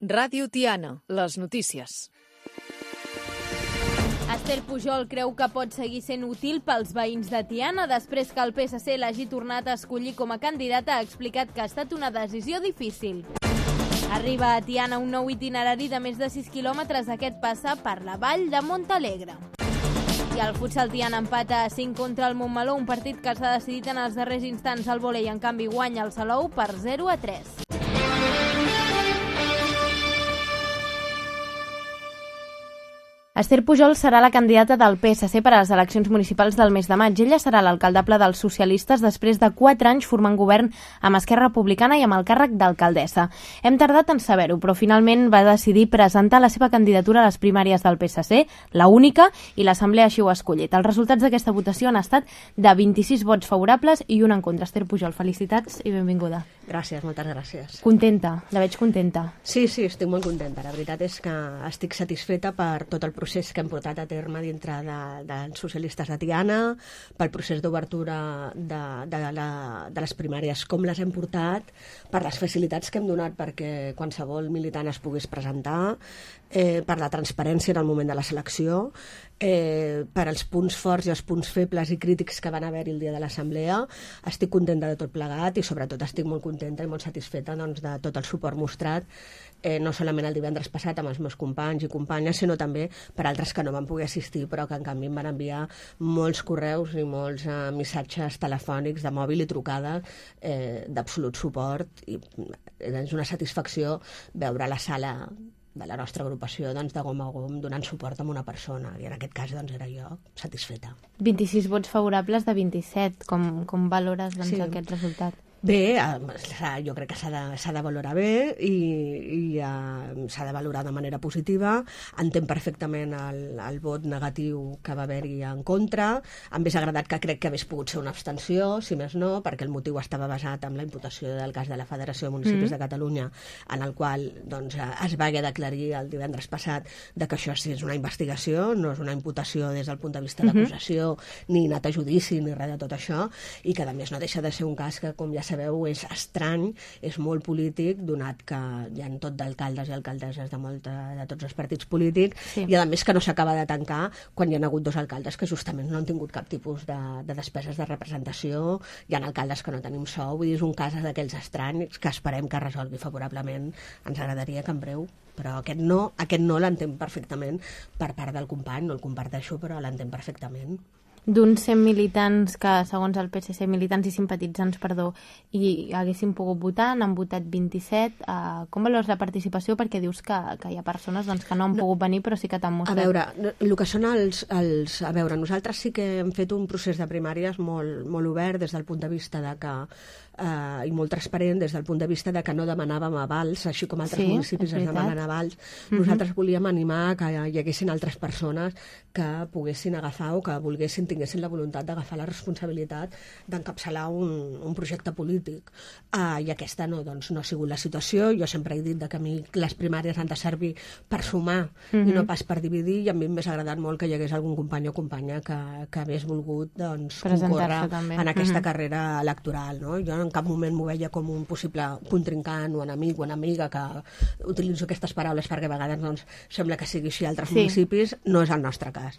Ràdio Tiana, les notícies. Esther Pujol creu que pot seguir sent útil pels veïns de Tiana. Després que el PSC l'hagi tornat a escollir com a candidata, ha explicat que ha estat una decisió difícil. Arriba a Tiana un nou itinerari de més de 6 quilòmetres. Aquest passa per la vall de Montalegre. I el futsal Tiana empata a 5 contra el Montmeló, un partit que s'ha decidit en els darrers instants. El vòlei, en canvi, guanya el Salou per 0-3. Esther Pujol serà la candidata del PSC per a les eleccions municipals del mes de maig. Ella serà l'alcaldable dels socialistes després de 4 anys formant govern amb Esquerra Republicana i amb el càrrec d'alcaldessa. Hem tardat en saber-ho, però finalment va decidir presentar la seva candidatura a les primàries del PSC, la única, i l'Assemblea així ho ha escollit. Els resultats d'aquesta votació han estat de 26 vots favorables i un en contra. Esther Pujol, felicitats i benvinguda. Gràcies, moltes gràcies. Contenta, la veig contenta. Sí, estic molt contenta. La veritat és que estic satisfeta per tot el procés que hem portat a terme dintre dels socialistes de Tiana, pel procés d'obertura de les primàries, com les hem portat, per les facilitats que hem donat perquè qualsevol militant es pogués presentar, per la transparència en el moment de la selecció, per als punts forts i els punts febles i crítics que van haver-hi el dia de l'assemblea. Estic contenta de tot plegat i sobretot estic molt contenta i molt satisfeta doncs, de tot el suport mostrat, no solament el divendres passat amb els meus companys i companyes, sinó també per altres que no van poder assistir però que en canvi em van enviar molts correus i molts missatges telefònics de mòbil i trucades d'absolut suport, i és una satisfacció veure la sala de la nostra agrupació doncs, de gom a gom donant suport a una persona, i en aquest cas doncs, era jo satisfeta. 26 vots favorables de 27, com valores doncs, aquest resultat? Bé, jo crec que s'ha de valorar bé i s'ha de valorar de manera positiva. Entenc perfectament el vot negatiu que va haver-hi en contra. Em hauria agradat que crec que hagués pogut ser una abstenció, si més no, perquè el motiu estava basat en la imputació del cas de la Federació de Municipis de Catalunya, en el qual doncs, es va haver d'aclarir el divendres passat de que això és una investigació, no és una imputació des del punt de vista d'acusació, ni anat a judici, ni res de tot això, i que a més no deixa de ser un cas que, com ja sabeu, és estrany, és molt polític, donat que hi ha tot d'alcaldes i alcaldesses de tots els partits polítics, i a més que no s'acaba de tancar quan hi ha hagut 2 alcaldes que justament no han tingut cap tipus de despeses de representació, hi ha alcaldes que no tenim sou, vull dir, és un cas d'aquells estranys que esperem que resolgui favorablement. Ens agradaria que en breu, però aquest no l'entenc perfectament per part del company, no el comparteixo, però l'entenc perfectament. D'uns 100 militants que, segons el PSC, militants i simpatitzants, i haguessin pogut votar, n'han votat 27. Com valores la participació? Perquè dius que hi ha persones doncs, que no han pogut venir, però sí que t'han mostrat. A veure, el que són a veure, nosaltres sí que hem fet un procés de primàries molt obert des del punt de vista de que i molt transparent des del punt de vista de que no demanàvem avals, així com altres municipis es demanen avals. Nosaltres volíem animar que hi haguessin altres persones que poguessin agafar o que tinguessin la voluntat d'agafar la responsabilitat d'encapçalar un projecte polític. I aquesta no ha sigut la situació. Jo sempre he dit que a mi les primàries han de servir per sumar i no pas per dividir, i a mi m'hauria agradat molt que hi hagués algun company o companya que hagués volgut concórrer en aquesta carrera electoral. No? Jo en cap moment m'ho veia com un possible contrincant o enemic o enemiga, que utilitzo aquestes paraules perquè a vegades sembla que sigui així a altres municipis. No és el nostre cas.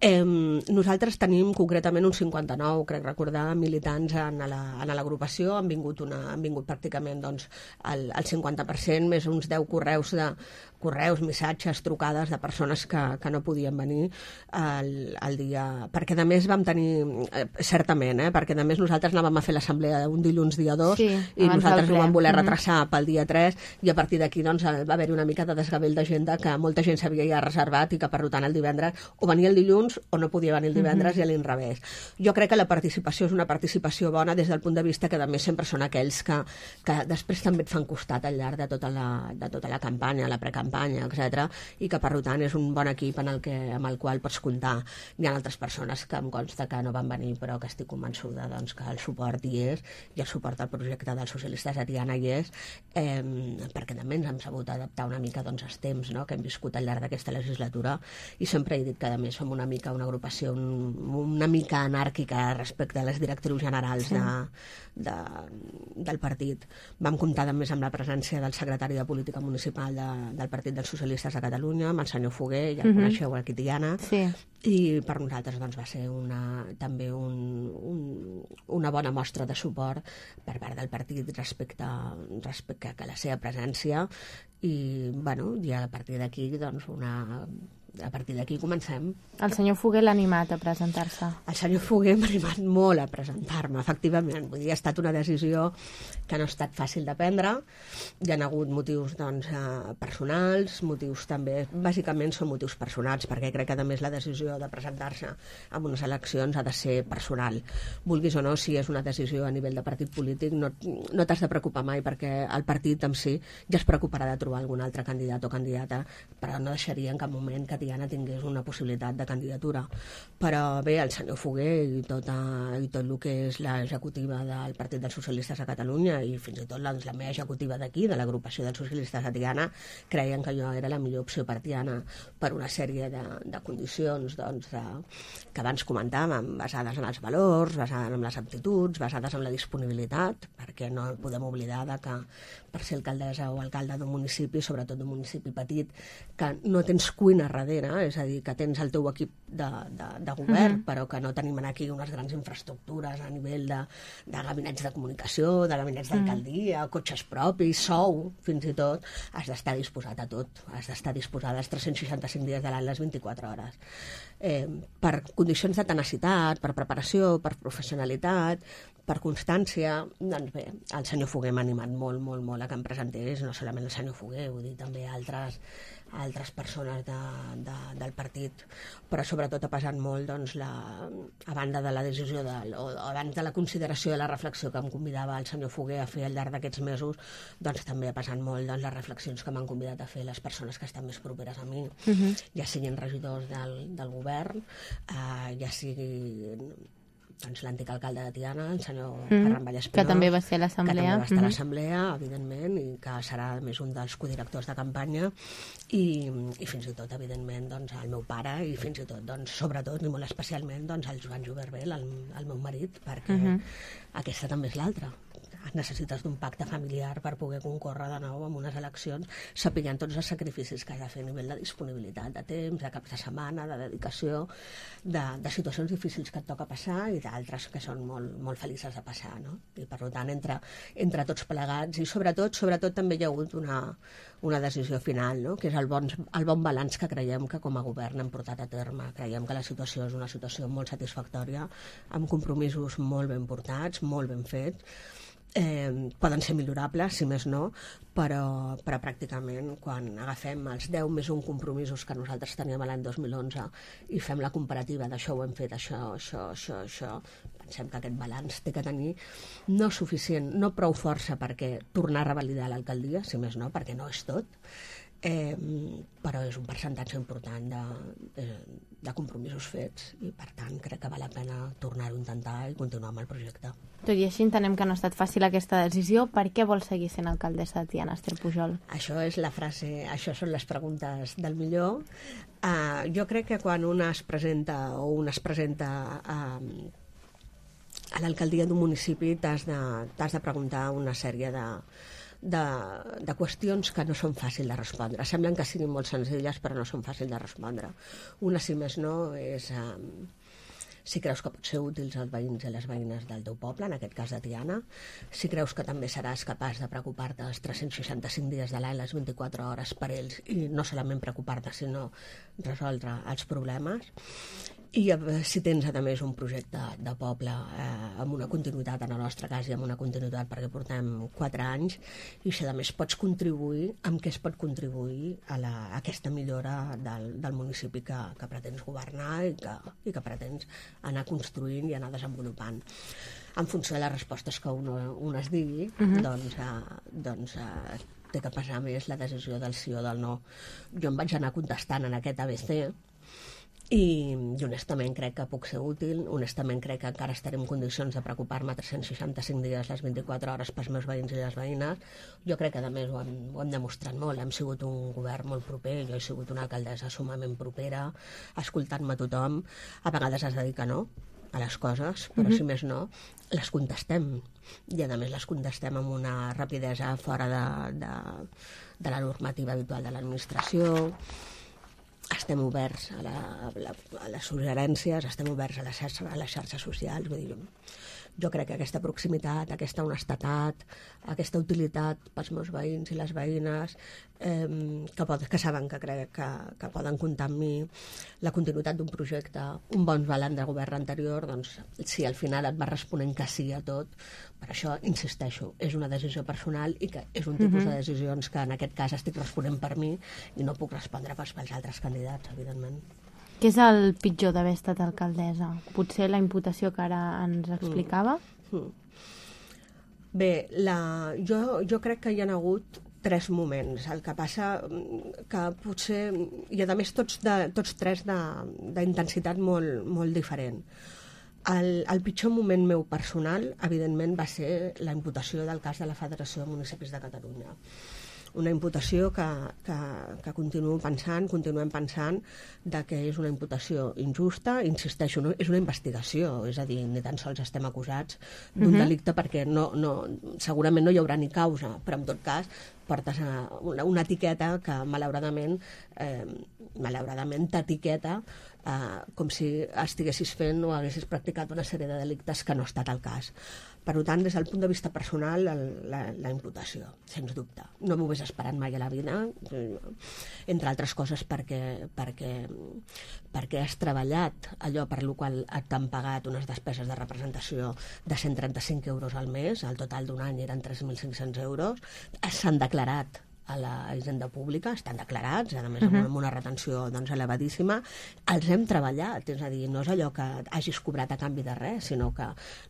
Nosaltres tenim concretament uns 59, crec recordar, militants en l'agrupació. Han vingut pràcticament el 50%, més uns 10 correus, missatges, trucades de persones que no podien venir el dia. Perquè a més vam tenir, certament, perquè a més nosaltres anàvem a fer l'assemblea un dilluns dia 2 i nosaltres ho vam voler retrasar pel dia 3, i a partir d'aquí va haver-hi una mica de desgavell d'agenda, que molta gent s'havia ja reservat i que per tant el divendres o venia el dilluns o no podia venir el divendres, i a l'inrevés. Jo crec que la participació és una participació bona des del punt de vista que a més sempre són aquells que després també et fan costat al llarg de tota la campanya, la precampanya, campanya, etc. I que, per tant, és un bon equip amb el qual pots comptar. Hi ha altres persones que em consta que no van venir, però que estic convençuda doncs, que el suport hi és, i el suport al projecte dels socialistes a Tiana hi és, perquè també ens hem sabut adaptar una mica doncs, als temps, no?, que hem viscut al llarg d'aquesta legislatura, i sempre he dit que, a més, som una agrupació una mica anàrquica respecte a les directrius generals del partit. Vam comptar, a més, amb la presència del secretari de Política Municipal del Partit dels Socialistes de Catalunya, amb el senyor Foguer, ja el coneixeu aquí a Tiana, i per nosaltres doncs, va ser també una bona mostra de suport per part del partit respecte a la seva presència, i, bueno, i a partir d'aquí doncs, a partir d'aquí comencem. El senyor Foguer l'ha animat a presentar-se? El senyor Foguer m'ha animat molt a presentar-me, efectivament. Vull dir, ha estat una decisió que no ha estat fàcil de prendre. Hi ha hagut motius doncs, personals, motius també, bàsicament són motius personals, perquè crec que a més la decisió de presentar-se en unes eleccions ha de ser personal. Vulguis o no, si és una decisió a nivell de partit polític, no t'has de preocupar mai, perquè el partit en si ja es preocuparà de trobar algun altre candidat o candidata, però no deixaria en cap moment que Tiana tingués una possibilitat de candidatura. Però bé, el senyor Foguer i tot el que és l'executiva del Partit dels Socialistes a Catalunya, i fins i tot la meva executiva d'aquí, de l'agrupació dels socialistes a Tiana, creien que jo era la millor opció per Tiana, per una sèrie de condicions que abans comentàvem, basades en els valors, basades en les aptituds, basades en la disponibilitat, perquè no podem oblidar que per ser alcaldessa o alcalde d'un municipi, sobretot d'un municipi petit, que no tens cuina darrere, és a dir, que tens el teu equip de govern, però que no tenim aquí unes grans infraestructures a nivell de gabinets de comunicació, de gabinets d'alcaldia, cotxes propis, sou, fins i tot, has d'estar disposat a tot, has d'estar disposada als 365 dies de l'any, les 24 hores. Per condicions de tenacitat, per preparació, per professionalitat, per constància, doncs bé, el senyor Foguer m'ha animat molt, molt, molt a que em presentés, no solament el senyor Foguer, vull dir, també altres persones del partit, però sobretot ha pesat molt doncs, a banda de la decisió o abans de la consideració de la reflexió que em convidava el senyor Foguer a fer al llarg d'aquests mesos, doncs també ha pesat molt doncs, les reflexions que m'han convidat a fer les persones que estan més properes a mi, ja siguin regidors del govern, ja siguin doncs, l'antic alcalde de Tiana, el senyor Ferran Vallespinós, que també va ser a l'assemblea, que també va estar a l'assemblea, evidentment, i que serà més un dels codirectors de campanya, i fins i tot, evidentment, doncs, el meu pare, i fins i tot, doncs, sobretot, i molt especialment, doncs, el Joan Juberbel, el meu marit, perquè aquesta també és l'altra. Necessites d'un pacte familiar per poder concórrer de nou en unes eleccions, sapiguent tots els sacrificis que has de fer a nivell de disponibilitat, de temps, de caps de setmana, de dedicació, de situacions difícils que et toca passar i d'altres que són molt, molt felices de passar, no? I per tant, entre tots plegats, i sobretot també hi ha hagut una decisió final, no? Que és el bon balanç que creiem que com a govern hem portat a terme. Creiem que la situació és una situació molt satisfactòria, amb compromisos molt ben portats, molt ben fets. Poden ser millorables, si més no, però pràcticament quan agafem els 10 més 1 compromisos que nosaltres teníem l'any 2011 i fem la comparativa d'això ho hem fet, això, pensem que aquest balanç té que tenir no suficient, no prou força perquè tornar a revalidar l'alcaldia, si més no, perquè no és tot, però és un percentatge important de compromisos fets i per tant crec que val la pena tornar-ho a intentar i continuar amb el projecte. Tot i així entenem que no ha estat fàcil aquesta decisió. Per què vol seguir sent alcaldessa de Tiana, Esther Pujol? Això és la frase, això són les preguntes del millor. Jo crec que quan un es presenta a l'alcaldia d'un municipi t'has de preguntar una sèrie de qüestions que no són fàcils de respondre. Semblen que siguin molt senzilles, però no són fàcils de respondre. Una, si més no, és si creus que pot ser útils als veïns i les veïnes del teu poble, en aquest cas de Tiana, si creus que també seràs capaç de preocupar-te els 365 dies de l'any, les 24 hores per ells, i no solament preocupar-te, sinó resoldre els problemes. I si tens, a més, un projecte de poble amb una continuïtat, en el nostre cas, i amb una continuïtat perquè portem 4 anys, i si, a més, pots contribuir, amb què es pot contribuir a aquesta millora del municipi que pretens governar i que pretens anar construint i anar desenvolupant. En funció de les respostes que un es digui, doncs té que pesar més la decisió del sí o del no. Jo em vaig anar contestant en aquest ABC i honestament crec que puc ser útil, honestament crec que encara estaré en condicions de preocupar-me 365 dies les 24 hores pels meus veïns i les veïnes. Jo crec que a més ho hem demostrat molt, hem sigut un govern molt proper, jo he sigut una alcaldessa sumament propera, escoltant-me tothom, a vegades has de dir que no a les coses, però si més no, les contestem. I a més les contestem amb una rapidesa fora de la normativa habitual de l'administració. Estem oberts a les suggerències, estem oberts a les xarxes socials. Vull dir, jo crec que aquesta proximitat, aquesta honestedat, aquesta utilitat pels meus veïns i les veïnes, que saben que poden comptar amb mi, la continuïtat d'un projecte, un bon balanç de govern anterior, doncs si al final et va responent que sí a tot, per això insisteixo, és una decisió personal i que és un tipus de decisions que en aquest cas estic responent per mi i no puc respondre pels altres candidats, evidentment. Què és el pitjor d'haver estat alcaldessa? Potser la imputació que ara ens explicava? Bé, jo crec que hi ha hagut 3 moments. El que passa que potser, i a més tots 3 d'intensitat molt diferent. El pitjor moment meu personal, evidentment, va ser la imputació del cas de la Federació de Municipis de Catalunya. Una imputació que continuem pensant que és una imputació injusta, insisteixo, no, és una investigació, és a dir, ni tan sols estem acusats d'un delicte perquè segurament no hi haurà ni causa, però en tot cas portes una etiqueta que malauradament t'etiqueta com si estiguessis fent o haguessis practicat una sèrie de delictes que no ha estat el cas. Per tant, des del punt de vista personal, la imputació, sens dubte. No m'ho hagués esperat mai a la vida, entre altres coses perquè has treballat allò per la qual t'han pagat unes despeses de representació de 135 euros al mes, el total d'un any eren 3.500 euros, s'han declarat a la hisenda pública, estan declarats, a més amb una retenció elevadíssima, els hem treballat, és a dir, no és allò que hagis cobrat a canvi de res, sinó que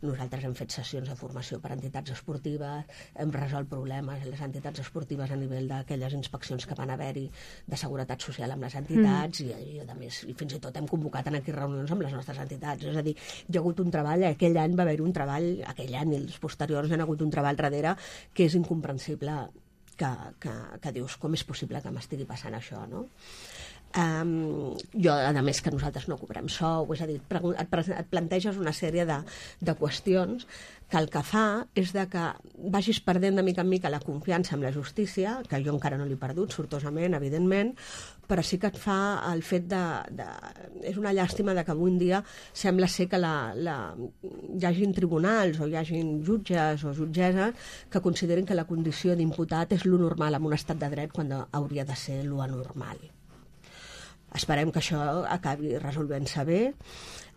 nosaltres hem fet sessions de formació per a entitats esportives, hem resolt problemes a les entitats esportives a nivell d'aquelles inspeccions que van haver-hi de seguretat social amb les entitats i a més, i fins i tot hem convocat en aquí reunions amb les nostres entitats, és a dir, hi ha hagut un treball, aquell any va haver-hi un treball, aquell any i els posteriors hi ha hagut un treball darrere que és incomprensible que dius, com és possible que m'estigui passant això, no? A més que nosaltres no cobrem sou, és a dir, et planteges una sèrie de qüestions que el que fa és que vagis perdent de mica en mica la confiança en la justícia, que jo encara no l'he perdut, sortosament, evidentment, però sí que et fa el fet és una llàstima que avui en dia sembla ser que hi hagin tribunals o hi hagin jutges o jutgesses que considerin que la condició d'imputat és lo normal en un estat de dret quan hauria de ser lo anormal. Esperem que això acabi resolvent-se bé.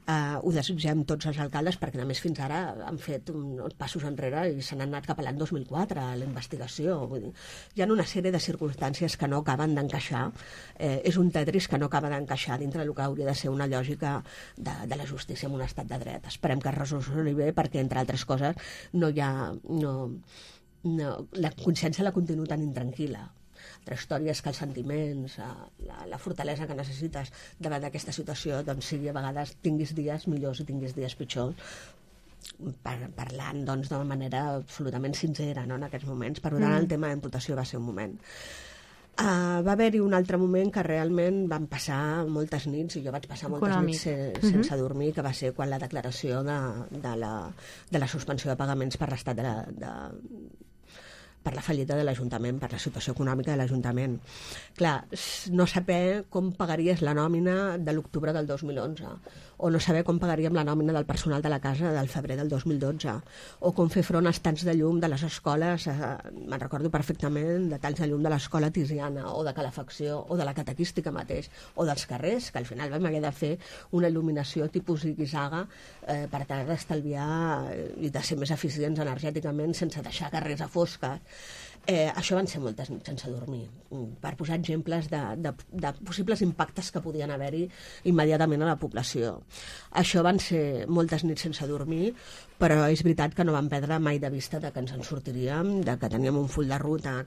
Ho desitgem tots els alcaldes perquè a més fins ara han fet uns passos enrere i se n'han anat cap a l'any 2004 a la investigació. Vull dir, hi ha una sèrie de circumstàncies que no acaben d'encaixar. És un Tetris que no acaba d'encaixar dintre del que hauria de ser una lògica de la justícia en un estat de dret. Esperem que es resolgui bé perquè, entre altres coses, la consciència la continua tan intranquil·la. Altra història és que els sentiments, la fortalesa que necessites davant d'aquesta situació, doncs sigui a vegades tinguis dies millors i tinguis dies pitjors, parlant d'una manera absolutament sincera, no, en aquests moments. Per tant, el tema d'imputació va ser un moment. Va haver-hi un altre moment que realment van passar moltes nits, i jo vaig passar moltes nits sense dormir, que va ser quan la declaració de la suspensió de pagaments per l'estat per la fallida de l'Ajuntament, per la situació econòmica de l'Ajuntament. Clar, no saber com pagaries la nòmina de l'octubre del 2011, o no saber com pagaríem la nòmina del personal de la casa del febrer del 2012, o com fer front als talls de llum de les escoles, me'n recordo perfectament, de talls de llum de l'escola Tiziana, o de calefacció, o de la catequística mateix, o dels carrers, que al final vam haver de fer una il·luminació tipus zigue-zaga per tal d'estalviar i de ser més eficients energèticament sense deixar carrers a fosques. Això van ser moltes nits sense dormir, per posar exemples de possibles impactes que podien haver-hi immediatament a la població. Això van ser moltes nits sense dormir, però és veritat que no vam perdre mai de vista de que ens en sortiríem, de que teníem un full de ruta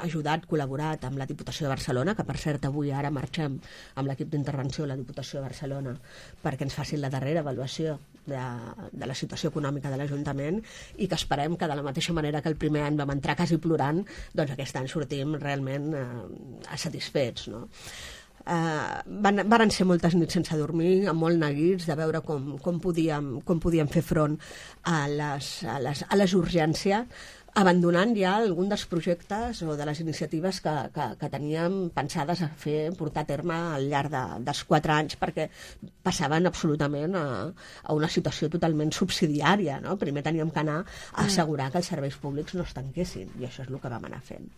ajudat, col·laborat amb la Diputació de Barcelona, que per cert avui ara marxem amb l'equip d'intervenció a la Diputació de Barcelona perquè ens facin la darrera avaluació de la situació econòmica de l'Ajuntament i que esperem que de la mateixa manera que el primer any vam entrar quasi plorant, doncs aquest any sortim realment satisfets, no? Varen ser moltes nits sense dormir, amb molt neguits, de veure com podíem fer front a les urgències, abandonant ja algun dels projectes o de les iniciatives que teníem pensades a portar a terme al llarg dels 4 anys, perquè passaven absolutament a una situació totalment subsidiària, no? Primer teníem que anar a assegurar que els serveis públics no es tanquessin, i això és el que vam anar fent.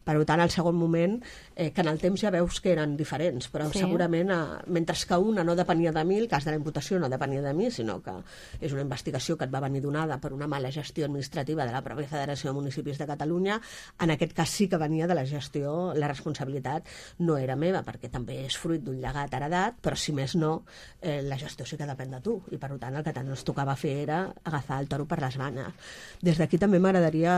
Per tant, al segon moment, que en el temps ja veus que eren diferents, però segurament, mentre que una no depenia de mi, el cas de la imputació no depenia de mi, sinó que és una investigació que et va venir donada per una mala gestió administrativa de la pròpia Federació de Municipis de Catalunya, en aquest cas sí que venia de la gestió, la responsabilitat no era meva, perquè també és fruit d'un llegat heredat, però si més no, la gestió sí que depèn de tu, i per tant el que ens tocava fer era agafar el toro per les banyes. Des d'aquí també m'agradaria,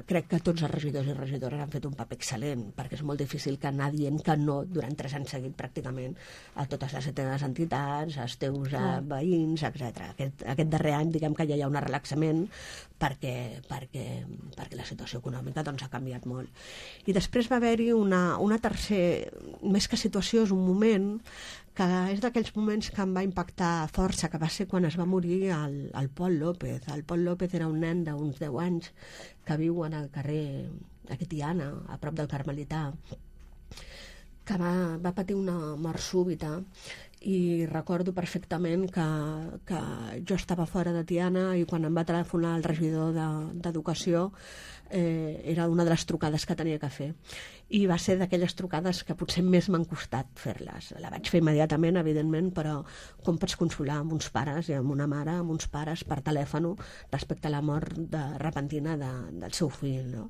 crec que tots els regidors i regidores han fet un paper excel·lent, perquè és molt difícil que anar dient que no durant 3 anys seguit pràcticament a totes les teves entitats, als teus veïns, etc. Aquest darrer any, diguem que ja hi ha un relaxament perquè la situació econòmica doncs, ha canviat molt. I després va haver-hi una tercera, més que situació, és un moment que és d'aquells moments que em va impactar força, que va ser quan es va morir el Pol López. El Pol López era un nen d'uns 10 anys que viu en el carrer aquí Tiana, a prop del Carmelità, que va patir una mort súbita, i recordo perfectament que jo estava fora de Tiana i quan em va telefonar el regidor d'Educació era una de les trucades que tenia que fer, i va ser d'aquelles trucades que potser més m'han costat fer-les. La vaig fer immediatament, evidentment, però com pots consolar amb uns pares i amb una mare, amb uns pares per telèfon respecte a la mort repentina del seu fill, no?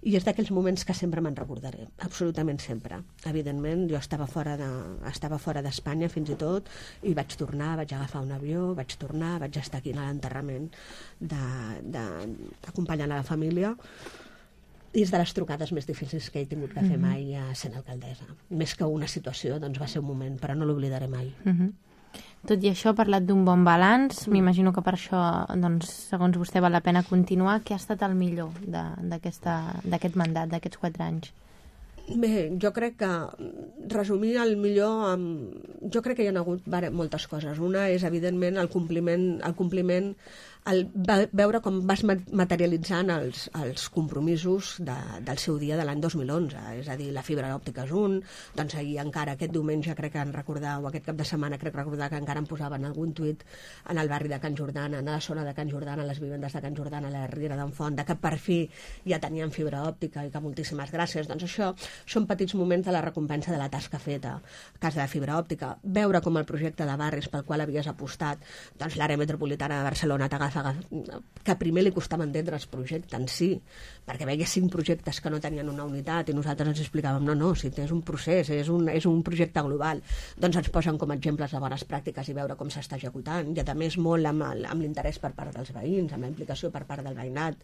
I és d'aquells moments que sempre me'n recordaré, absolutament sempre. Evidentment, jo estava fora d'Espanya fins i tot, i vaig tornar, vaig agafar un avió, vaig estar aquí a l'enterrament acompanyant a la família, i és de les trucades més difícils que he tingut que fer mai sent alcaldessa. Més que una situació, doncs va ser un moment, però no l'oblidaré mai. Tot i això, ha parlat d'un bon balanç. M'imagino que per això, doncs, segons vostè, val la pena continuar. Què ha estat el millor d'aquest mandat, d'aquests 4 anys? Bé, jo crec que resumir el millor jo crec que hi ha hagut moltes coses. Una és, evidentment, el compliment, veure com vas materialitzant els compromisos del seu dia de l'any 2011, és a dir, la fibra òptica és un, doncs ahir encara aquest diumenge crec que o aquest cap de setmana crec recordar que encara em posaven algun tuit en el barri de Can Jordana, en la zona de Can Jordana, a les vivendes de Can Jordana, a la Riera d'en Font, que per fi ja tenien fibra òptica i que moltíssimes gràcies. Doncs això són petits moments de la recompensa de la tasca feta. A casa de fibra òptica, veure com el projecte de barris pel qual havies apostat, doncs l'àrea metropolitana de Barcelona t'agafa, que primer li costava entendre els projectes en si, perquè veia 5 projectes que no tenien una unitat i nosaltres ens explicàvem, no, si és un procés, és un projecte global, doncs ens posen com a exemples de bones pràctiques i veure com s'està executant, i a més molt amb l'interès per part dels veïns, amb la implicació per part del veïnat.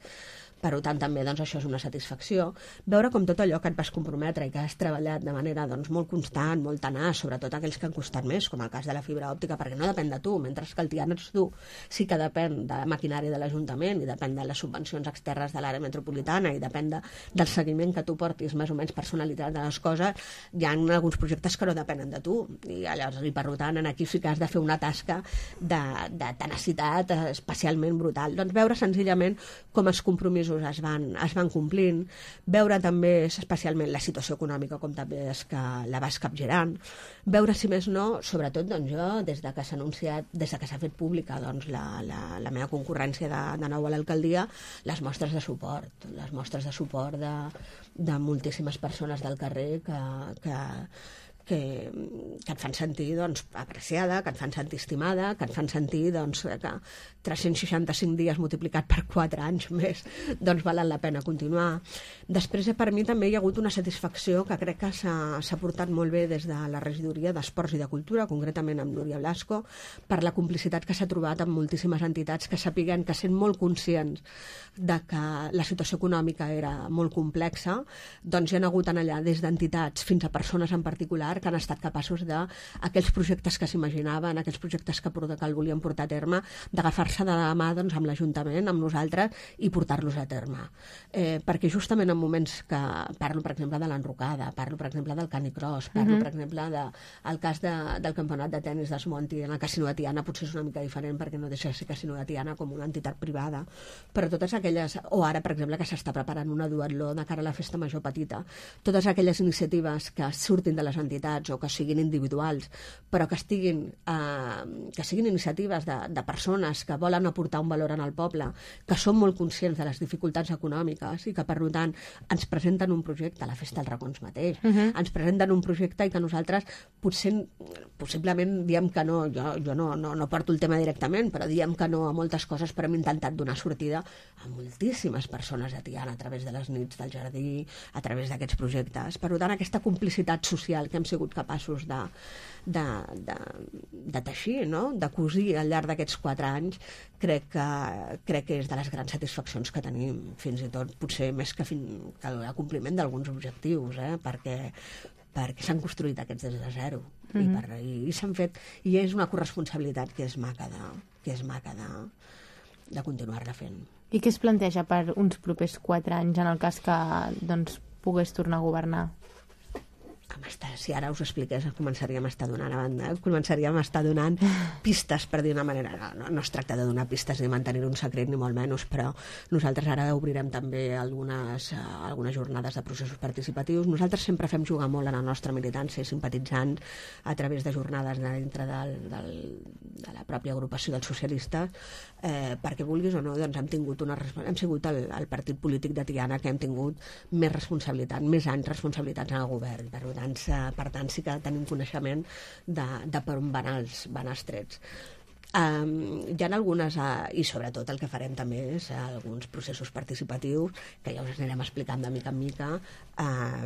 Per tant, també doncs, això és una satisfacció. Veure com tot allò que et vas comprometre i que has treballat de manera doncs, molt constant, molt tenaç, sobretot aquells que han costat més, com el cas de la fibra òptica, perquè no depèn de tu, mentre que el Tiana ets tu, sí que depèn de la maquinària de l'Ajuntament i depèn de les subvencions externes de l'àrea metropolitana i depèn del seguiment que tu portis més o menys personalitat de les coses. Hi ha alguns projectes que no depenen de tu i per tant aquí sí que has de fer una tasca de tenacitat especialment brutal. Doncs veure senzillament com els compromisos es van complint, veure també especialment la situació econòmica com també és que la vas capgirant, veure si més no, sobretot doncs jo, des de que s'ha anunciat, des de que s'ha fet pública doncs, la meva concurrència de nou a l'alcaldia, les mostres de suport de moltíssimes persones del carrer que que et fan sentir apreciada, que et fan sentir estimada, que et fan sentir que 365 dies multiplicat per 4 anys més valen la pena continuar. Després, per mi també hi ha hagut una satisfacció que crec que s'ha portat molt bé des de la regidoria d'Esports i de Cultura, concretament amb Núria Blasco, per la complicitat que s'ha trobat amb moltíssimes entitats que sapiguen, que sent molt conscients de que la situació econòmica era molt complexa, doncs hi ha hagut allà des d'entitats fins a persones en particular que han estat capaços d'aquells projectes que s'imaginaven, aquells projectes que el volien portar a terme, d'agafar-se de la mà amb l'Ajuntament, amb nosaltres, i portar-los a terme. Perquè justament en moments que parlo, per exemple, de l'Enrocada, parlo, per exemple, del Canicross, parlo, per exemple, del cas del campionat de tennis d'Esmonti en el Casino de Tiana, potser és una mica diferent perquè no deixa de ser Casino de Tiana com una entitat privada, però totes aquelles, o ara, per exemple, que s'està preparant una duatló de cara a la festa major petita, totes aquelles iniciatives que surtin de les entitats o que siguin individuals, però que siguin iniciatives de persones que volen aportar un valor en el poble, que són molt conscients de les dificultats econòmiques i que, per tant, ens presenten un projecte, a la Festa dels Racons mateix, ens presenten un projecte i que nosaltres possiblement diem que no, jo no porto el tema directament, però diem que no a moltes coses, però hem intentat donar sortida a moltíssimes persones de Tiana a través de les nits del jardí, a través d'aquests projectes. Per tant, aquesta complicitat social que hem sigut capaços de teixir, no? De cosir al llarg d'aquests 4 anys, crec que és de les grans satisfaccions que tenim, fins i tot potser més que el compliment d'alguns objectius, perquè s'han construït aquests des de zero i s'han fet, i és una corresponsabilitat que és maca de continuar-la fent. I què es planteja per uns propers 4 anys en el cas que pogués tornar a governar? Si ara us expliqués, començaríem a estar donant pistes, per dir una manera. No es tracta de donar pistes ni mantenir un secret, ni molt menys, però nosaltres ara obrirem també algunes jornades de processos participatius. Nosaltres sempre fem jugar molt a la nostra militància i simpatitzant a través de jornades dintre de la pròpia agrupació dels socialistes, perquè vulguis o no, hem sigut el partit polític de Tiana que hem tingut més responsabilitat, més anys responsabilitats en el govern. Per tant, sí que tenim coneixement de per on van els trets. Hi ha algunes, i sobretot el que farem també és alguns processos participatius que ja us anirem explicant de mica en mica,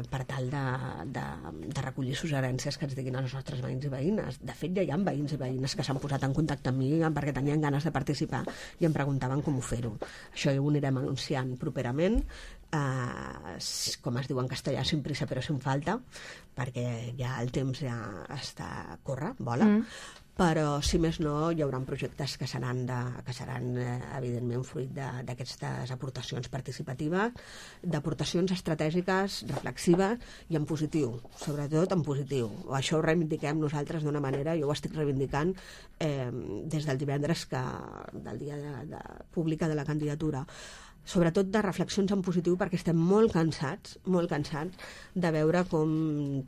per tal de recollir suggerències que ens diguin els nostres veïns i veïnes. De fet, ja hi ha veïns i veïnes que s'han posat en contacte amb mi perquè tenien ganes de participar i em preguntaven com ho fer-ho. Això ho anirem anunciant properament, com es diu en castellà, sin prisa però sin falta, perquè ja el temps ja està vola. Però, si més no, hi haurà projectes que seran evidentment fruit d'aquestes aportacions participatives, d'aportacions estratègiques, reflexives i en positiu, sobretot en positiu. Això ho reivindiquem nosaltres d'una manera, jo ho estic reivindicant des del divendres, del dia pública de la candidatura, sobretot de reflexions en positiu, perquè estem molt cansats de veure com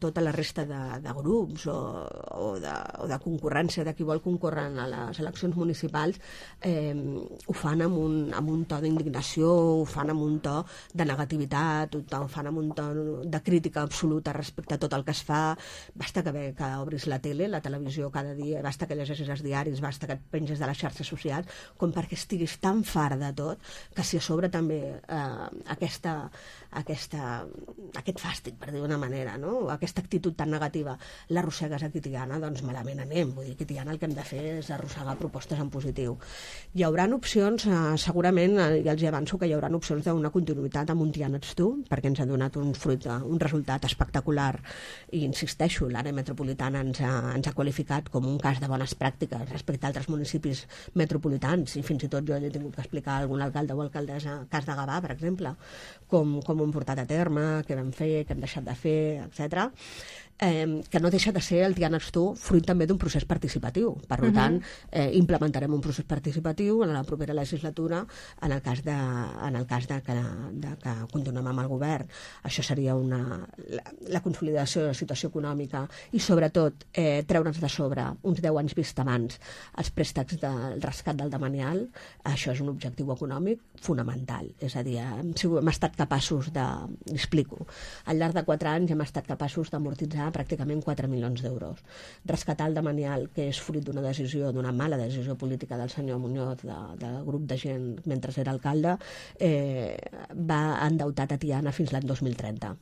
tota la resta de grups o de concurrència, de qui vol concórrer a les eleccions municipals, ho fan amb un to d'indignació, ho fan amb un to de negativitat, ho fan amb un to de crítica absoluta respecte a tot el que es fa. Basta que obris la tele, la televisió cada dia, basta que llegeixis els diaris, basta que et penges de les xarxes socials, com perquè estiguis tan fart de tot, que si a sobre també aquest fàstic, per dir d'una manera, no? Aquesta actitud tan negativa l'arrossegues aquí a Tiana, doncs malament anem. Vull dir que a Tiana el que hem de fer és arrossegar propostes en positiu. Hi haurà opcions, segurament, ja els avanço que hi haurà opcions d'una continuïtat amb un Tiana ets tu, perquè ens ha donat un resultat espectacular, i insisteixo, l'àrea metropolitana ens ha qualificat com un cas de bones pràctiques respecte a altres municipis metropolitans, i fins i tot jo he tingut que explicar a algun alcalde o alcaldessa cas de Gavà, per exemple, com ho hem portat a terme, què vam fer, què hem deixat de fer, etc. Que no deixa de ser el Tiana ets tu fruit també d'un procés participatiu. Per tant, implementarem un procés participatiu en la propera legislatura en el cas de que continuem amb el govern. Això seria la consolidació de la situació econòmica i, sobretot, treure'ns de sobre uns 10 anys vist abans els préstecs del rescat del demanial. Això és un objectiu econòmic fonamental. És a dir, hem estat capaços Explico. Al llarg de 4 anys hem estat capaços d'amortitzar pràcticament 4 milions d'euros. Rescatar el Damanial, que és fruit d'una mala decisió política del senyor Muñoz, del grup de gent mentre era alcalde, va endeutar Tiana fins l'any 2030.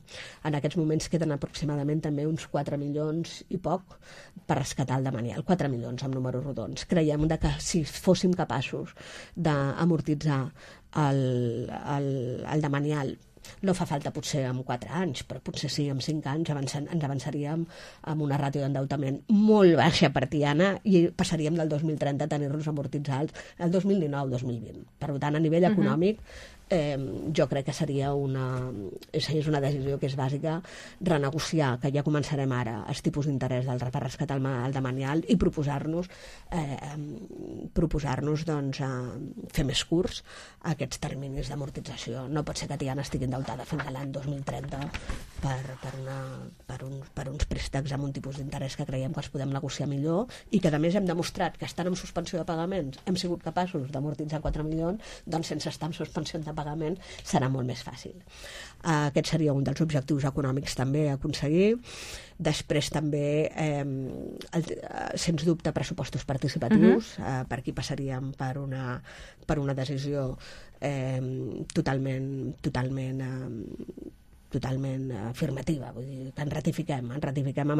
En aquests moments queden aproximadament també uns 4 milions i poc per rescatar el Damanial. 4 milions amb números rodons. Creiem que si fóssim capaços d'amortitzar el Damanial, no fa falta potser amb 4 anys, però potser sí, amb 5 anys ens avançaríem amb una ràtio d'endeutament molt baixa per Tiana i passaríem del 2030 a tenir-los amortitzats el 2019-2020. Per tant, a nivell econòmic, jo crec que seria una decisió que és bàsica, renegociar, que ja començarem ara, els tipus d'interès per rescatar el Damanial i proposar-nos doncs, fer més curts aquests terminis d'amortització. No pot ser que Tiana estigui endeutada fins a l'any 2030 per uns préstecs amb un tipus d'interès que creiem que els podem negociar millor i que a més hem demostrat que estant en suspensió de pagaments hem sigut capaços d'amortitzar 4 milions, doncs sense estar en suspensió de pagament serà molt més fàcil. Aquest seria un dels objectius econòmics també a aconseguir. Després també, sens dubte, pressupostos participatius. Per aquí passaríem per una decisió totalment afirmativa, vull dir, que ens ratifiquem amb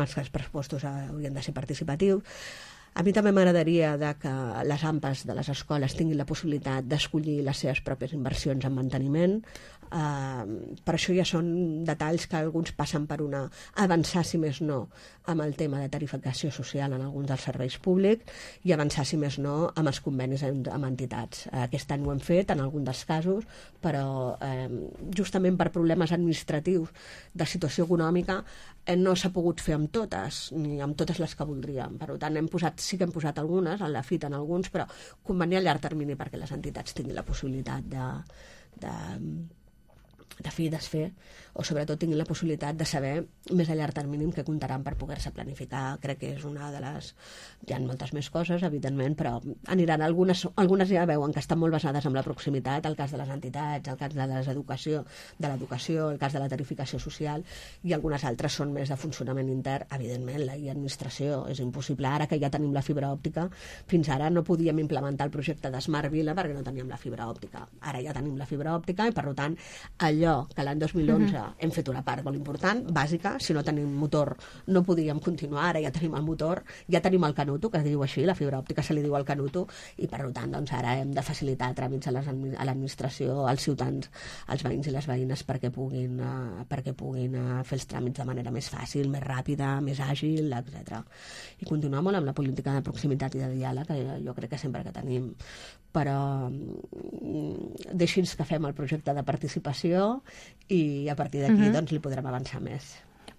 els que els pressupostos haurien de ser participatius. A mi també m'agradaria que les AMPAs de les escoles tinguin la possibilitat d'escollir les seves pròpies inversions en manteniment. Per això ja són detalls que alguns passen per avançar, si més no, amb el tema de tarificació social en alguns dels serveis públics i avançar, si més no, amb els convenis amb entitats. Aquest any ho hem fet en algun dels casos, però justament per problemes administratius de situació econòmica no s'ha pogut fer amb totes, ni amb totes les que voldríem. Per tant, sí que hem posat algunes, en la FIT en alguns, però convenir a llarg termini perquè les entitats tinguin la possibilitat de fer i desfer, o sobretot tinguin la possibilitat de saber més a llarg termini que comptaran per poder-se planificar. Crec que és una de les... Hi ha moltes més coses, evidentment, però aniran algunes ja veuen que estan molt basades en la proximitat, el cas de les entitats, el cas de l'educació, el cas de la tarificació social, i algunes altres són més de funcionament intern. Evidentment, la administració és impossible. Ara que ja tenim la fibra òptica, fins ara no podíem implementar el projecte de Smart Vila perquè no teníem la fibra òptica. Ara ja tenim la fibra òptica i, per tant, allò que l'any 2011 hem fet una part molt important, bàsica. Si no tenim motor no podíem continuar. Ara ja tenim el motor, ja tenim el canuto, que es diu així, la fibra òptica se li diu al canuto, i per tant doncs, ara hem de facilitar tràmits a l'administració, als ciutadans, als veïns i les veïnes perquè puguin fer els tràmits de manera més fàcil, més ràpida, més àgil, etc. I continuar molt amb la política de proximitat i de diàleg, que jo crec que sempre que tenim, però deixi'ns que fem el projecte de participació i a partir d'aquí doncs, li podrem avançar més.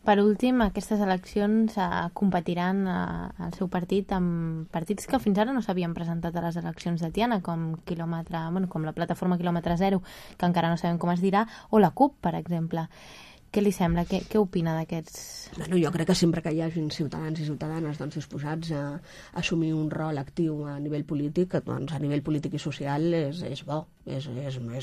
Per últim, aquestes eleccions competiran al seu partit amb partits que fins ara no s'havien presentat a les eleccions de Tiana, com la plataforma Quilòmetre Zero, que encara no sabem com es dirà, o la CUP, per exemple. Què li sembla? Què opina d'aquests? Bueno, jo crec que sempre que hi hagin ciutadans i ciutadanes doncs, disposats a assumir un rol actiu a nivell polític, doncs, a nivell polític i social és bo, és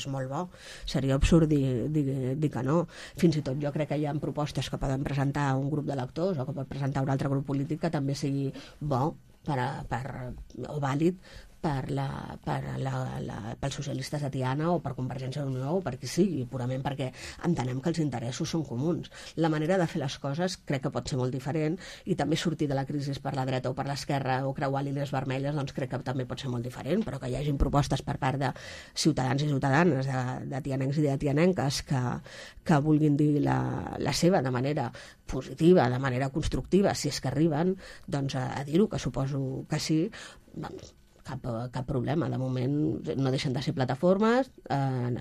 molt bo. Seria absurd dir que no. Fins i tot jo crec que hi ha propostes que poden presentar un grup d'electors o que pot presentar un altre grup polític que també sigui bo o vàlid pels socialistes de Tiana o per Convergència i Unió o per qui sigui, purament perquè entenem que els interessos són comuns. La manera de fer les coses crec que pot ser molt diferent i també sortir de la crisi per la dreta o per l'esquerra o creuar línies vermelles, doncs crec que també pot ser molt diferent, però que hi hagin propostes per part de ciutadans i ciutadanes, de tianencs i de tianenques que vulguin dir la seva de manera positiva, de manera constructiva, si és que arriben, doncs a dir-ho, que suposo que sí, doncs cap problema. De moment no deixen de ser plataformes,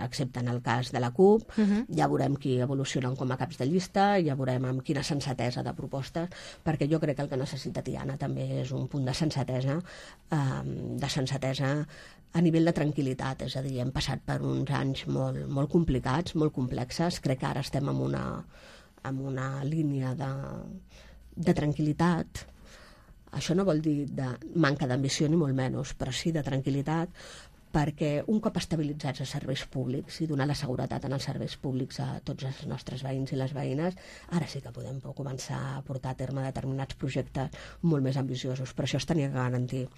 excepte en el cas de la CUP. Ja veurem qui evolucionen com a caps de llista, ja veurem amb quina sensatesa de propostes, perquè jo crec que el que necessita Tiana també és un punt de sensatesa a nivell de tranquil·litat. És a dir, hem passat per uns anys molt complicats, molt complexes. Crec que ara estem en una línia de tranquil·litat. Això no vol dir de manca d'ambició ni molt menys, però sí de tranquil·litat, perquè un cop estabilitzats els serveis públics i donar la seguretat en els serveis públics a tots els nostres veïns i les veïnes, ara sí que podem començar a portar a terme determinats projectes molt més ambiciosos, però això es tenia que garantir.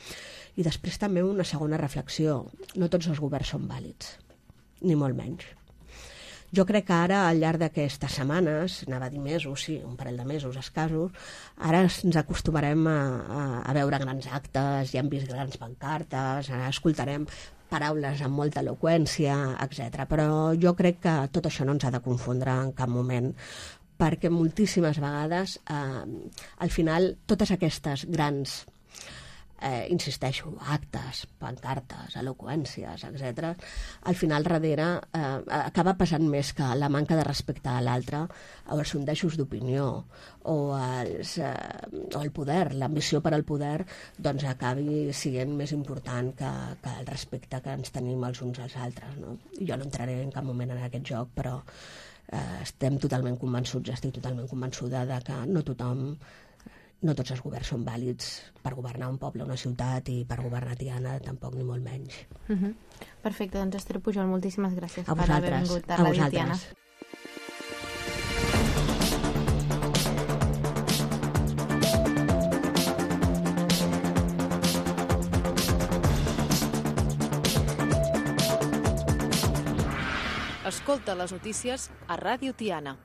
I després també una segona reflexió: no tots els governs són vàlids, ni molt menys. Jo crec que ara, al llarg d'aquestes setmanes, anava a dir mesos, sí, un parell de mesos escassos, ara ens acostumarem a veure grans actes, ja hem vist grans pancartes, ara escoltarem paraules amb molta eloqüència, etc. Però jo crec que tot això no ens ha de confondre en cap moment, perquè moltíssimes vegades, al final, totes aquestes grans insisteixo, actes, pancartes, eloqüències, etc., al final darrere acaba passant més que la manca de respecte a l'altre, o els sondejos d'opinió, o el poder, l'ambició per al poder, doncs acabi sent més important que el respecte que ens tenim els uns als altres, no? Jo no entraré en cap moment en aquest joc, però estem totalment convençuts, estic totalment convençuda de que no tots els governs són vàlids per governar un poble, una ciutat, i per governar Tiana tampoc, ni molt menys. Perfecte, doncs Esther Pujol, moltíssimes gràcies per haver vingut a Ràdio Tiana. Escolta les notícies a Ràdio Tiana.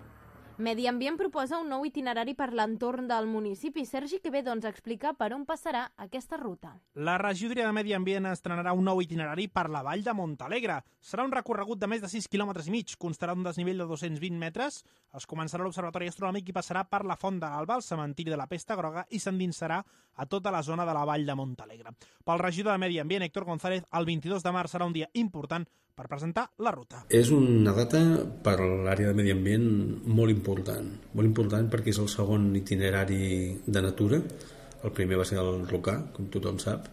Medi Ambient proposa un nou itinerari per l'entorn del municipi. Sergi Quevedo ens explica per on passarà aquesta ruta. La regidoria de Medi Ambient estrenarà un nou itinerari per la vall de Montalegre. Serà un recorregut de més de 6,5 km, constarà d'un desnivell de 220 metres, es començarà a l'Observatori Astronòmic i passarà per la Font de l'Alba, el cementiri de la Pesta Groga, i s'endinsarà a tota la zona de la vall de Montalegre. Pel regidor de Medi Ambient, Héctor González, el 22 de març serà un dia important per presentar la ruta. És una data per l'àrea de Medi Ambient molt important perquè és el segon itinerari de natura. El primer va ser el Rocà, com tothom sap,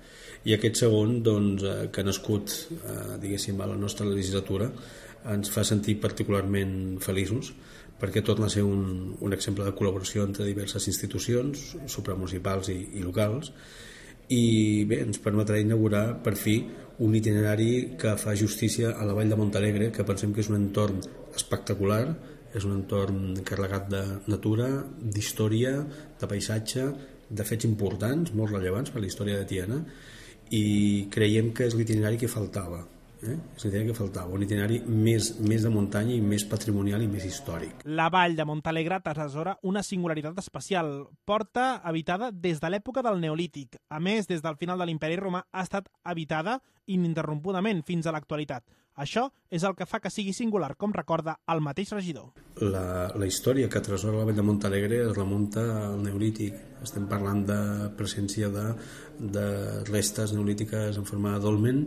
i aquest segon, doncs, que ha nascut, diguéssim, a la nostra legislatura, ens fa sentir particularment feliços, perquè torna a ser un exemple de col·laboració entre diverses institucions supramunicipals i locals, i bé, ens permetrà inaugurar per fi un itinerari que fa justícia a la vall de Montalegre, que pensem que és un entorn espectacular, és un entorn carregat de natura, d'història, de paisatge, de fets importants, molt rellevants per la història de Tiana, i creiem que és l'itinerari que faltava. És l'itinerari que faltava, un itinerari més de muntanya i més patrimonial i més històric. La vall de Montalegre atresora una singularitat especial. Porta habitada des de l'època del Neolític. A més, des del final de l'Imperi Romà ha estat habitada ininterrompudament fins a l'actualitat. Això és el que fa que sigui singular, com recorda el mateix regidor. La història que atresora la vall de Montalegre es remunta al Neolític. Estem parlant de presència de restes neolítiques en forma de dolmen,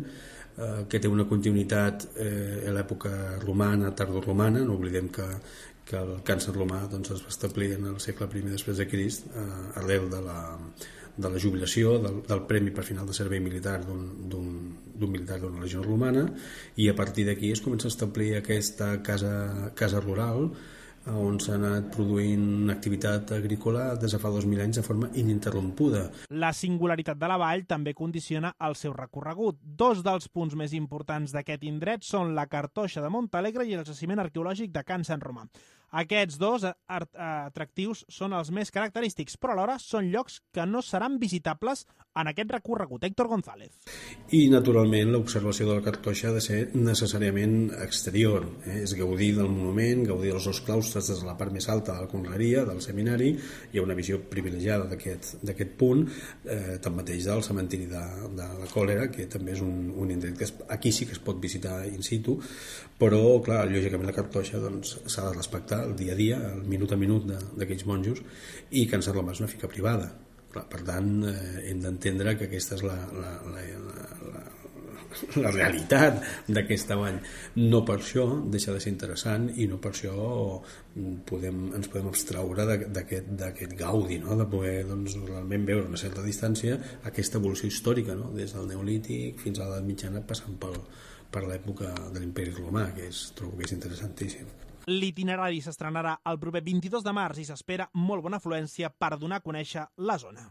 que té una continuïtat a l'època romana, tardoromana. No oblidem que el càncer romà doncs, es va establir en el segle I després de Crist, arrel de la jubilació, del premi per final de servei militar d'un militar d'una legió romana, i a partir d'aquí es comença a establir aquesta casa rural on s'ha anat produint activitat agrícola des de fa 2.000 anys de forma ininterrompuda. La singularitat de la vall també condiciona el seu recorregut. Dos dels punts més importants d'aquest indret són la Cartoixa de Montalegre i el jaciment arqueològic de Can Sant Romà. Aquests dos atractius són els més característics, però alhora són llocs que no seran visitables en aquest recorregut. Héctor González. I, naturalment, l'observació de la Cartoixa ha de ser necessàriament exterior. És gaudir del monument, gaudir dels dos claustres des de la part més alta de la conreria, del seminari. Hi ha una visió privilegiada d'aquest punt, tanmateix del cementiri de la Còlera, que també és un indret que aquí sí que es pot visitar in situ, però, clar, lògicament la Cartoixa doncs, s'ha de respectar el dia a dia, el minut a minut d'aquells monjos, i Can Sant Romà és una finca privada. Per tant, hem d'entendre que aquesta és la realitat d'aquesta vall. No per això deixa de ser interessant i no per això ens podem abstraure d'aquest gaudi, no? De poder doncs, realment veure una certa distància aquesta evolució històrica, no? Des del Neolític fins a l'edat mitjana, passant per l'època de l'Imperi Romà, que trobo que és interessantíssim. L'itinerari s'estrenarà el proper 22 de març i s'espera molt bona afluència per donar a conèixer la zona.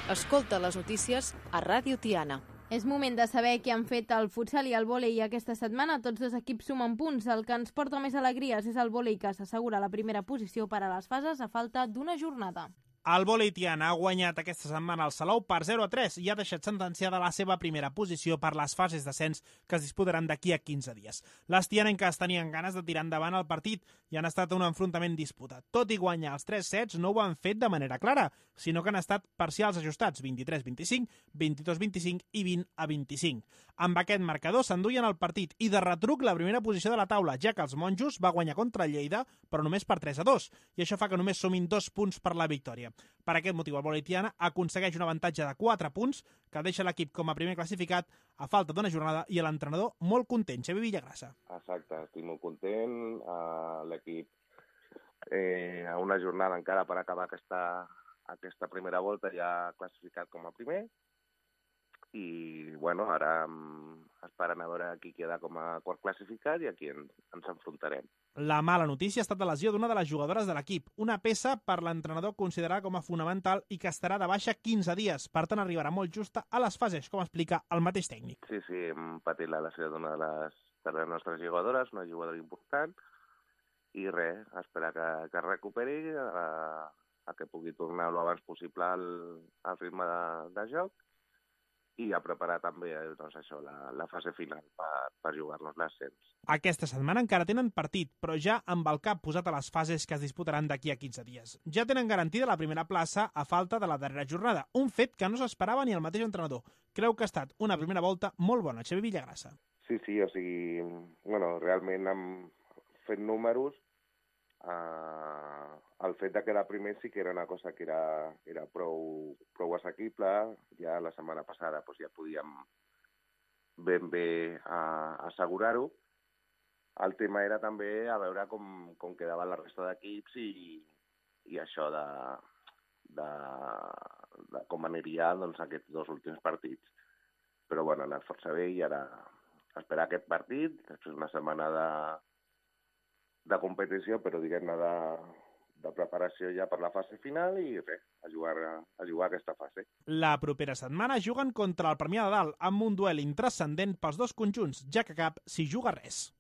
Escolta les notícies a Ràdio Tiana. És moment de saber què han fet el futsal i el vòlei aquesta setmana. Tots dos equips sumen punts. El que ens porta més alegries és el vòlei, que s'assegura la primera posició per a les fases a falta d'una jornada. El vòlei Tiana ha guanyat aquesta setmana el Salou per 0-3 i ha deixat sentenciada la seva primera posició per les fases d'ascens que es disputaran d'aquí a 15 dies. Les tianenques tenien ganes de tirar endavant el partit i han estat un enfrontament disputat. Tot i guanyar els 3 sets, no ho han fet de manera clara, sinó que han estat parcials ajustats, 23-25, 22-25 i 20-25. Amb aquest marcador s'enduien el partit i de retruc la primera posició de la taula, ja que els monjos va guanyar contra Lleida, però només per 3-2, i això fa que només sumin 2 punts per la victòria. Per aquest motiu, el vòlei Tiana aconsegueix un avantatge de 4 punts que deixa l'equip com a primer classificat a falta d'una jornada i l'entrenador molt content, Xavi Villagrassa. Exacte, estic molt content. L'equip a una jornada encara per acabar aquesta primera volta ja classificat com a primer i bueno, ara esperant a veure qui queda com a quart classificat i a qui ens enfrontarem. La mala notícia ha estat la lesió d'una de les jugadores de l'equip, una peça per l'entrenador considerada com a fonamental i que estarà de baixa 15 dies, per tant arribarà molt justa a les fases, com explica el mateix tècnic. Sí, hem patit la lesió d'una de les nostres jugadores, una jugadora important, i res, esperar que es recuperi, a que pugui tornar el abans possible al ritme de joc, i a preparar també doncs això, la fase final per jugar-nos l'ascens. Aquesta setmana encara tenen partit, però ja amb el cap posat a les fases que es disputaran d'aquí a 15 dies. Ja tenen garantida la primera plaça a falta de la darrera jornada, un fet que no s'esperava ni el mateix entrenador. Creu que ha estat una primera volta molt bona, Xavi Villagrassa. Sí, o sigui, bueno, realment hem fet números. El fet de quedar primer sí que era una cosa que era prou assequible. Ja la setmana passada doncs, ja podíem ben bé assegurar-ho. El tema era també a veure com quedava la resta d'equips i això de com aniria doncs, aquests 2 últims partits. Però bueno, ha anat força bé i ara esperar aquest partit, després una setmana de competició, però diguem-ne de preparació ja per la fase final i res, a jugar aquesta fase. La propera setmana juguen contra el Premià de Dalt amb un duel intranscendent pels dos conjunts, ja que cap s'hi juga res.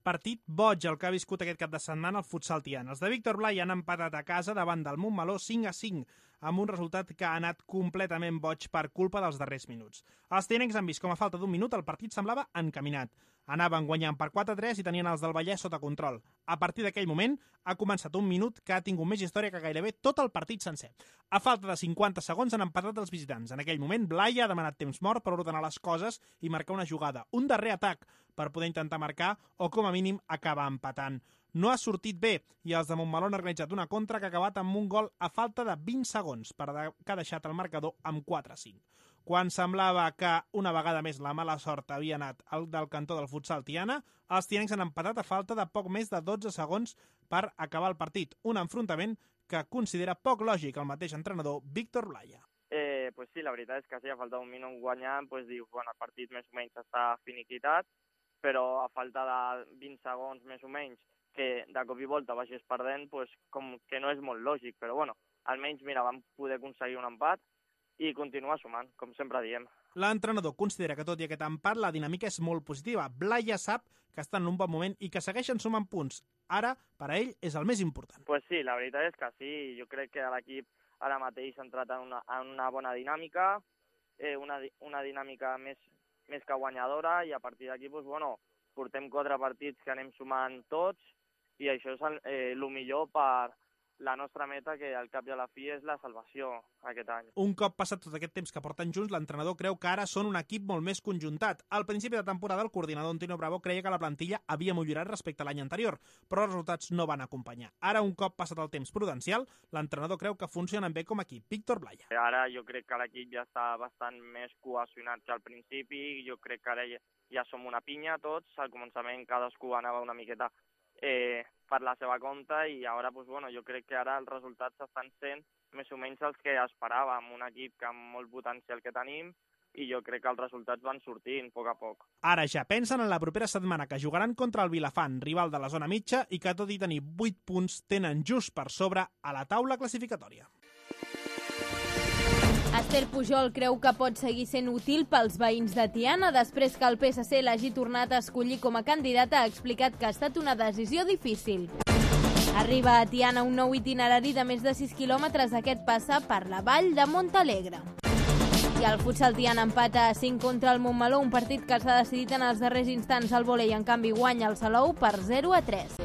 Partit boig el que ha viscut aquest cap de setmana el futsal Tiana. Els de Víctor Blai han empatat a casa davant del Montmeló 5-5, amb un resultat que ha anat completament boig per culpa dels darrers minuts. Els tianencs han vist com a falta d'un minut el partit semblava encaminat. Anaven guanyant per 4-3 i tenien els del Vallès sota control. A partir d'aquell moment ha començat un minut que ha tingut més història que gairebé tot el partit sencer. A falta de 50 segons han empatat els visitants. En aquell moment, Blai ha demanat temps mort per ordenar les coses i marcar una jugada, un darrer atac per poder intentar marcar o, com a mínim, acabar empatant. No ha sortit bé i els de Montmeló han organitzat una contra que ha acabat amb un gol a falta de 20 segons que ha deixat el marcador amb 4-5. Quan semblava que una vegada més la mala sort havia anat al del cantó del futsal Tiana, els tianencs han empatat a falta de poc més de 12 segons per acabar el partit. Un enfrontament que considera poc lògic el mateix entrenador Víctor Blai. Pues sí, la veritat és que sí, a falta d'un minut guanyant, pues dius, bueno, el partit més o menys està finiquitat, però a falta de 20 segons més o menys que de cop i volta vagis perdent, pues com que no és molt lògic, però bueno, almenys, mira, vam poder aconseguir un empat i continuar sumant, com sempre diem. L'entrenador considera que tot i aquest empat la dinàmica és molt positiva. Blai ja sap que està en un bon moment i que segueixen sumant punts. Ara, per a ell, és el més important. Pues sí, la veritat és que sí. Jo crec que l'equip ara mateix ha entrat en una bona dinàmica, una dinàmica més que guanyadora, i a partir d'aquí, pues, bueno, portem 4 partits que anem sumant tots i això és el millor per la nostra meta, que al cap i a la fi és la salvació aquest any. Un cop passat tot aquest temps que porten junts, l'entrenador creu que ara són un equip molt més conjuntat. Al principi de temporada, el coordinador Antonio Bravo creia que la plantilla havia millorat respecte a l'any anterior, però els resultats no van acompanyar. Ara, un cop passat el temps prudencial, l'entrenador creu que funcionen bé com a equip. Víctor Blai. Ara jo crec que l'equip ja està bastant més cohesionat que al principi. Jo crec que ara ja som una pinya tots. Al començament cadascú anava una miqueta per la seva compte i ara, pues, bueno, jo crec que ara els resultats estan sent més o menys els que esperàvem. Un equip que amb molt potencial que tenim, i jo crec que els resultats van sortint a poc a poc. Ara ja pensen en la propera setmana, que jugaran contra el Vilafant, rival de la zona mitja, i que tot i tenir 8 punts tenen just per sobre a la taula classificatòria. Esther Pujol creu que pot seguir sent útil pels veïns de Tiana. Després que el PSC l'hagi tornat a escollir com a candidata, ha explicat que ha estat una decisió difícil. Arriba a Tiana un nou itinerari de més de 6 quilòmetres. Aquest passa per la vall de Montalegre. I el futsal Tiana empata a 5 contra el Montmeló, un partit que s'ha decidit en els darrers instants. El vòlei, en canvi, guanya el Salou per 0-3.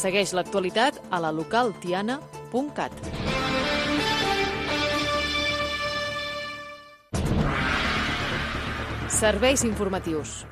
Segueix l'actualitat a la localtiana.cat. Serveis informatius.